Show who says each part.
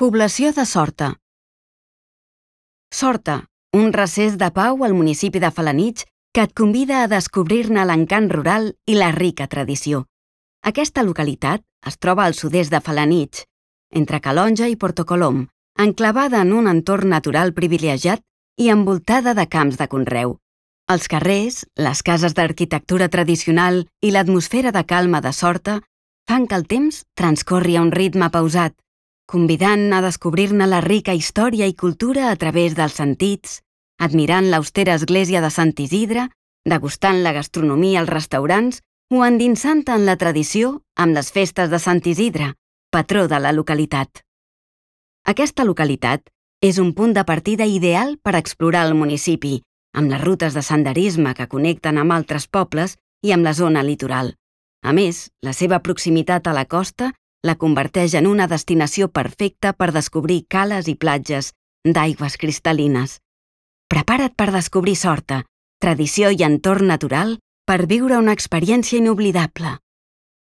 Speaker 1: Població de Sorta. Sorta, un recés de pau al municipi de Felanitx que et convida a descobrir-ne l'encant rural i la rica tradició. Aquesta localitat es troba al sud-est de Felanitx, entre Calonge i Portocolom, enclavada en un entorn natural privilegiat i envoltada de camps de conreu. Els carrers, les cases d'arquitectura tradicional i l'atmosfera de calma de Sorta fan que el temps transcorri a un ritme pausat, convidant a descobrir-ne la rica història i cultura a través dels sentits, admirant l'austera església de Sant Isidre, degustant la gastronomia als restaurants o endinsant-te en la tradició amb les festes de Sant Isidre, patró de la localitat. Aquesta localitat és un punt de partida ideal per explorar el municipi, amb les rutes de senderisme que connecten amb altres pobles i amb la zona litoral. A més, la seva proximitat a la costa la converteix en una destinació perfecta per descobrir cales i platges d'aigües cristal·lines. Prepara't per descobrir Sorta, tradició i entorn natural per viure una experiència inoblidable.